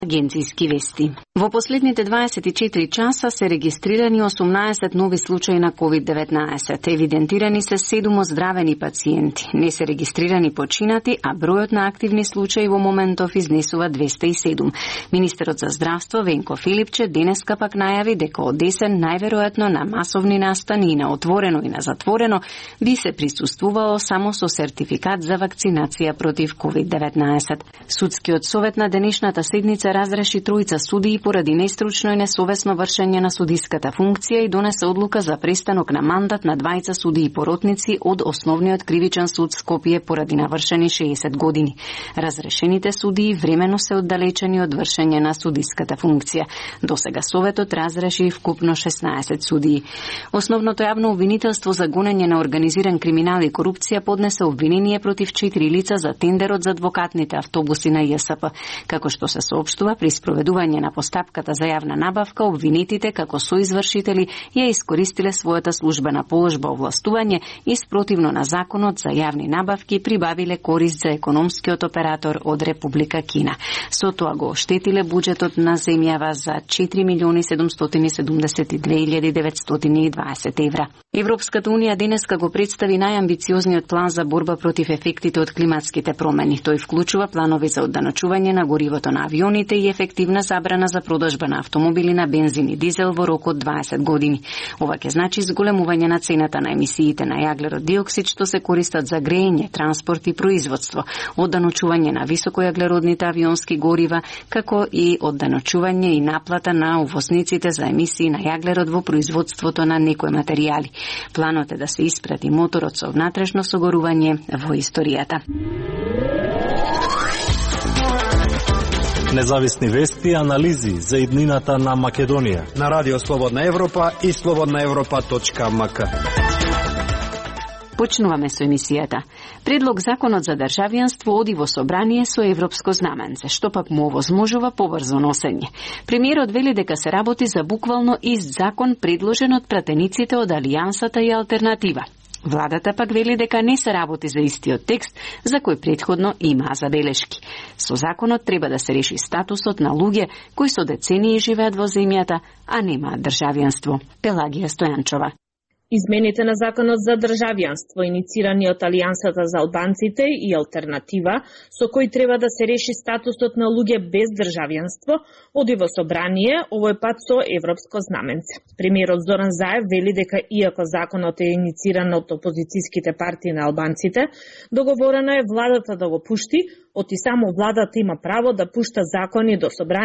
Агенцијски вести. Во последните 24 часа се регистрирани 18 нови случаи на COVID-19. Евидентирани се 7 оздравени пациенти. Не се регистрирани починати, а бројот на активни случаи во моментов изнесува 207. Министерот за здравство Венко Филипче денеска пак најави дека од десен најверојатно на масовни настани и на отворено и на затворено би се присуствувало само со сертификат за вакцинација против COVID-19. Судскиот совет на денешната седница разреши тројца судии поради нестручно и несовесно вршење на судиската функција и донесе одлука за престанок на мандат на двајца судии поротници од Основниот кривичен суд Скопје поради навршени 60 години. Разрешените судии времено се оддалечени од вршење на судиската функција. Досега советот разреши вкупно 16 судии. Основното јавно обвинителство за гонење на организиран криминал и корупција поднесе обвинение против 4 лица за тендерот за адвокатните автобуси на ЈСП. Како што се соопштува, при спроведување на постапката за јавна набавка, обвинетите како соизвршители ја искористиле својата службена положба овластување и спротивно на законот за јавни набавки прибавиле корист за економскиот оператор од Република Кина. Со тоа го оштетиле буџетот на земјава за 4.772.920 евра. Европската унија денеска го представи најамбициозниот план за борба против ефектите од климатските промени. Тој вклучува планови за одданочување на горивото на авионите и ефективна забрана за продажба на автомобили на бензин и дизел во рок од 20 години. Ова ќе значи зголемување на цената на емисиите на јаглерод диоксид што се користат за грејење, транспорт и производство, одданочување на високојаглеродните авионски горива, како и одданочување и наплата на увозниците за емисии на јаглерод во производството на некои материјали. Планот е да се испрати моторот со внатрешно согорување во историјата. Независни вести и анализи за иднината на Македонија на Радио Слободна Европа и slobodnaevropa.mk. Почнуваме со емисијата. Предлог законот за државјанство оди во собрание со европско знаменце, што пак му овозможува побрзо носење. Премиерот вели дека се работи за буквално ист закон предложен од пратениците од Алијансата и Алтернатива. Владата пак вели дека не се работи за истиот текст, за кој претходно имаа забелешки. Со законот треба да се реши статусот на луѓе кои со децении живеат во земјата, а немаат државјанство. Пелагија Стојанчова. Измените на законот за државјанство, иницирани од Алијансата за албанците и Алтернатива, со кој треба да се реши статусот на луѓе без државјанство, оди во собрание, овој пат со европско знаменце. Премиерот Зоран Заев вели дека иако законот е инициран од опозицијските партии на албанците, договорено е владата да го пушти, оти само владата има право да пушта закони до собрание